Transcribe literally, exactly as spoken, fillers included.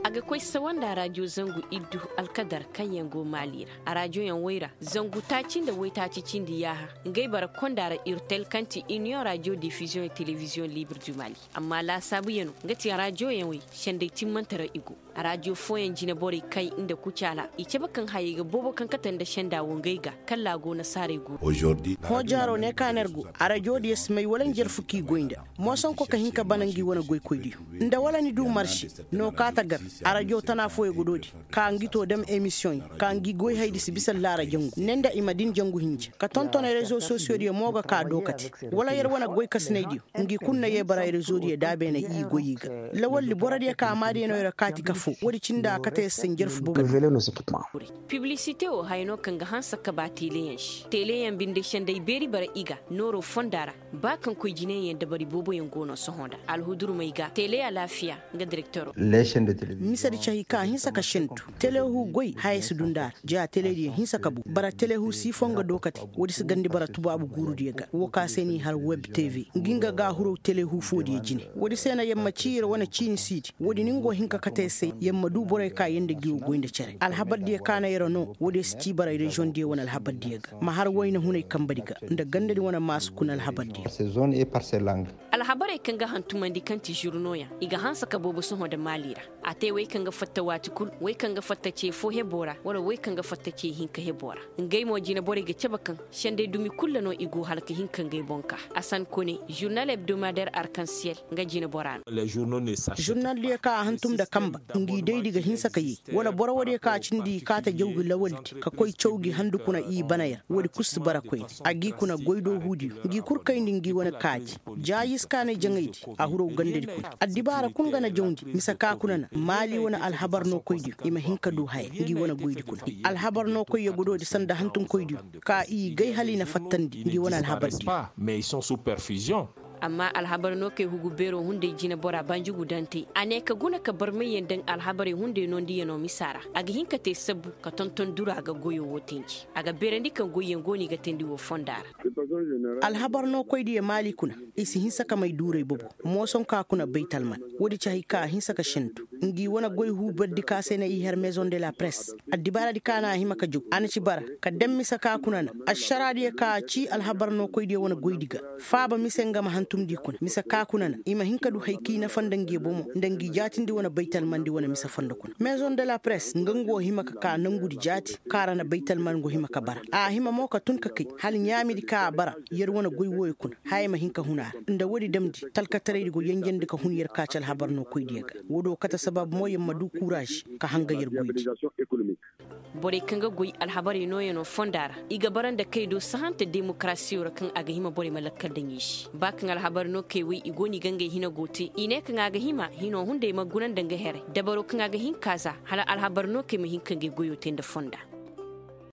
A ga koy sawanda rajo zangu iddu alkadar kaŋ yaŋ go maali ra. A rajoyaŋ way ra zangu taaci nda waytaaci cindi yaaha. Ngey bara konda ra irtel kaŋ ti iniyoŋ rajo difiziyoŋ telebiziyoŋ libir du maali. Amma laasaabuyanoo nga ti rajoyaŋ way senday timmante ra i go. Rajo fooyaŋ jineborey kay nda kucaala i cabe kaŋ hayey ga boobo kaŋ kate nda senda wo ngey ga. Kalla a go nasaarey go. Hõ jaaro ne ka no yer go. Arajo diyo si may wala njarfu k'i goy nda. Moosonko ka hin ka bana ngi wane goykoydiyo nda wala ni du marse. No ka ta gar. Arajo tana fooyo ga doodi ka ngi to dam emisiyoŋ ka ngi goy haydi si bisa laara jangu ne nda i ma din jangu hinja ka tonton rezo sosiyodiyo mo ga ka dookate. Wala yer wane goykasinaydiyo ngi kulu na ye bara rezo diyo da beene i goy i ga. Lawaldi borodiyo ka maadiyo no yer kaati ka foo woodi cindi a kate yer se njarfu boobo. Piblisite wo haya no kaŋ ga hanse ka ba teeleyaŋ se teeleyaŋ binde senday beeri bara i ga nooro fonda ra. Ba kaŋ koy jineyaŋ dabari booboyaŋ go no sohõ nda alhudurmey ga teele alaafiya. Nga direktero. Misedi cahi ka hinsa ka sentu telehu goy haya si du nda ra ja telediyo hinsa ka bu bara telehu si foo nga dookate. Woodi si gandi bara tubaabu guurudiyo ga wo ka se n'i har web tv ngi nga ga huraw telehu foodiyo jine. Woodi se na yer ma ci yer wane ciini siidi woodi ni nga go hin ka kate yer se yer ma du borey ka yer nda ngi wo goy nda cere alhabardiyo ka na yer no woodiyo si ci bara reziyoŋdiyo wane alhabardiyo ga ma har wayna hunay kambedi ga nda gandadi wane maasu kuna alhabardiyo. Alhabarey kaŋ ga hantumandi kaŋ ti žurnoyaŋ i ga hanse ka boobo sohõ nda maali ra. A te wey kaŋ ga fatta waati kul wey kaŋ ga fatta ce fo hebo ra wala wey kaŋ ga fatta ce hinka hebo ra. Ngey mo jineborey ga cabe kaŋ senday dumi kul ra no i go hala ka hin ka ngey boŋ ka asan kone žurnal hebdomader arkansiyel. Nga jinebora no žurnaldiyo ka a hantum nda kamba ngi daydi ga hinsa ka yee wala boro woodiyo ka cindi i kaate jawgi lawaldi ka koy caw gi handu kuna i bana yer woodi kul si bara koyne. A g'i kuna goydoohuudiyo ngi kul kayndi ngi wane kaaji. Jaayiskaanay jaŋaydi a huraw gandadi kuna addibaara kul nga na jawndi mise ka kuna na maali wane alhabar nookoydiyo i ma hin ka du haya ngi wane goydi kuna. Alhabar nookoyyo godoodi sanda hantumkoydiyo ka i gay hala i na fattandi ngi wane alhabardiyo. Amma alhabar nookey hugu beeroo hunday jineboraa banjugu daŋ te a ne ka guna ka barmayyaŋ daŋ alhabarey hunday noondiyanoo misa ra. A ga hin ka te sabbu ka tonton dura ga goyoo woo tenji a ga beerandi kaŋ goyyaŋ go no i ga teendi woo fonda ra. Alhabar nookoydiyo maali kuna i si hinsa ka may duuray bobo. Moosonkaa kuna baytalman woodi ci hay ka a hinsa ka sendu ngi wane goy huubardi ka se na i har mezoŋ de la press. Addibaaradi ka na a hima ka jaw a na ci bara ka daŋ mise ka kuna na ašaraadiyo ka a ci alhabar nookoydiyo wane goydi ga. Faaba mise nga ma hantumndi kuna mise ka kuna na i ma hin ka du hay k'i nafa nda ngi bomo nda ngi jaatindi wane baytalmandi wane mise fondo kuna mezoŋ de la press nga ngu wo hima ka ka nongudi jaati kaŋ a ra na baytalman go hima ka bara a hima mo ka tun ka kay hala ɲaamidi kaŋ a bara. Yer wane goy wooyo kuna haya ma hin ka hun a ra nda woodi damndi talkataraydi go yenjendi ka hun yer ka ci alhabar nookoydiyo ga. Woodi wo kate sabab mo yer ma du kuuraazi ka hanga yer goydi. Borey kaŋ ga goy alhabarey nooyanoo fonda ra i ga bara nda kay do sahante demokarasiyo ra kaŋ a ga hima borey ma lakkal daŋ i se ba kaŋ alhabar nookey wey i go no i ga ngey hina go te i ne kaŋ a ga hima hino hunday ma guna nda nga here dabaro kaŋ a ga hin ka za hala alhabar nookey ma hin ka ngey goyoo te nda fonda.